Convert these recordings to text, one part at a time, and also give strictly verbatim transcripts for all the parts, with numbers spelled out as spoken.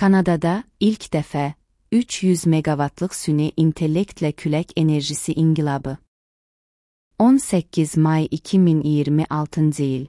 Kanadada ilk dəfə üç yüz meqavatlıq süni intellektlə külək enerjisi inqilabı. on səkkiz may iki min iyirmi altıncı il.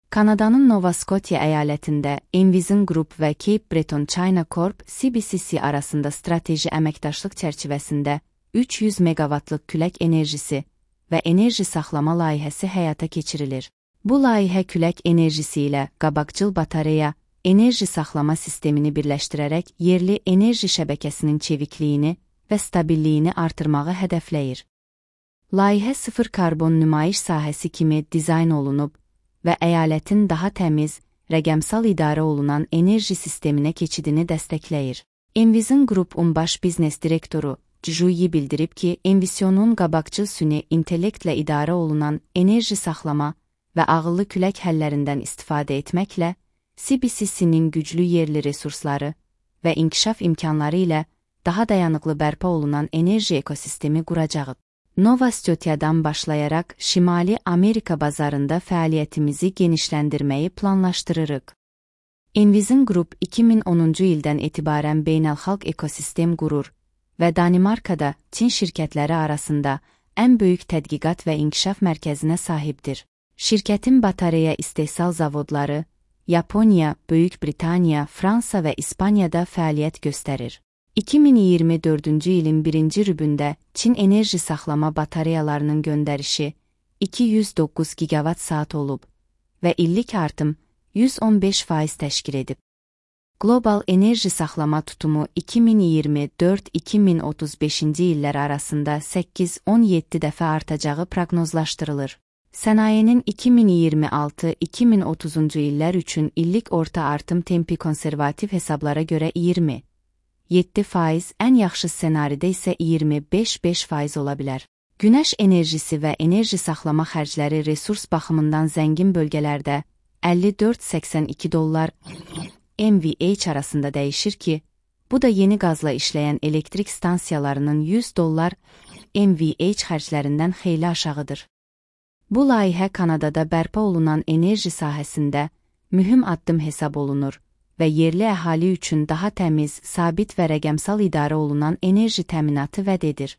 Kanadanın Nova Scotia əyalətində Envision Group və Cape Breton China Corp C B C C arasında strateji əməkdaşlıq çərçivəsində üç yüz meqavatlıq külək enerjisi və enerji saxlama layihəsi həyata keçirilir. Bu layihə külək enerjisi ilə qabaqcıl batareya, enerji saxlama sistemini birləşdirərək yerli enerji şəbəkəsinin çevikliyini və stabilliyini artırmağı hədəfləyir. Layihə sıfır karbon nümayiş sahəsi kimi dizayn olunub və əyalətin daha təmiz, rəqəmsal idarə olunan enerji sisteminə keçidini dəstəkləyir. Envision Group-un baş biznes direktoru Juyi bildirib ki, Envision'un qabaqcıl süni intellektlə idarə olunan enerji saxlama və ağıllı külək həllərindən istifadə etməklə C B C C-nin güclü yerli resursları və inkişaf imkanları ilə daha dayanıqlı bərpa olunan enerji ekosistemi quracağı. Nova Scotia'dan başlayaraq Şimali Amerika bazarında fəaliyyətimizi genişləndirməyi planlaşdırırıq. Envision Group iki min onuncu ildən etibarən beynəlxalq ekosistem qurur və Danimarkada Çin şirkətləri arasında ən böyük tədqiqat və inkişaf mərkəzinə sahibdir. Şirkətin batareya istehsal zavodları Yaponiya, Böyük Britaniya, Fransa və İspaniyada fəaliyyət göstərir. iki min iyirmi dördüncü ilin birinci rübündə Çin enerji saxlama batareyalarının göndərişi iki yüz doqquz gigavat saat olub və illik artım yüz on beş faiz təşkil edib. Qlobal enerji saxlama tutumu iki min iyirmi dörd iki min otuz beşinci illər arasında səkkiz on yeddi dəfə artacağı proqnozlaşdırılır. Sənayenin iki min iyirmi altı iki min otuzuncu illər üçün illik orta artım tempi konservativ hesablara görə iyirmi yeddi faiz, ən yaxşı ssenaridə isə iyirmi beş beş faiz ola bilər. Günəş enerjisi və enerji saxlama xərcləri resurs baxımından zəngin bölgələrdə əlli dörd səksən iki dollar M V H arasında dəyişir ki, bu da yeni qazla işləyən elektrik stansiyalarının yüz dollar M V H xərclərindən xeyli aşağıdır. Bu layihə Kanadada bərpa olunan enerji sahəsində mühüm addım hesab olunur və yerli əhali üçün daha təmiz, sabit və rəqəmsal idarə olunan enerji təminatı vəd edir.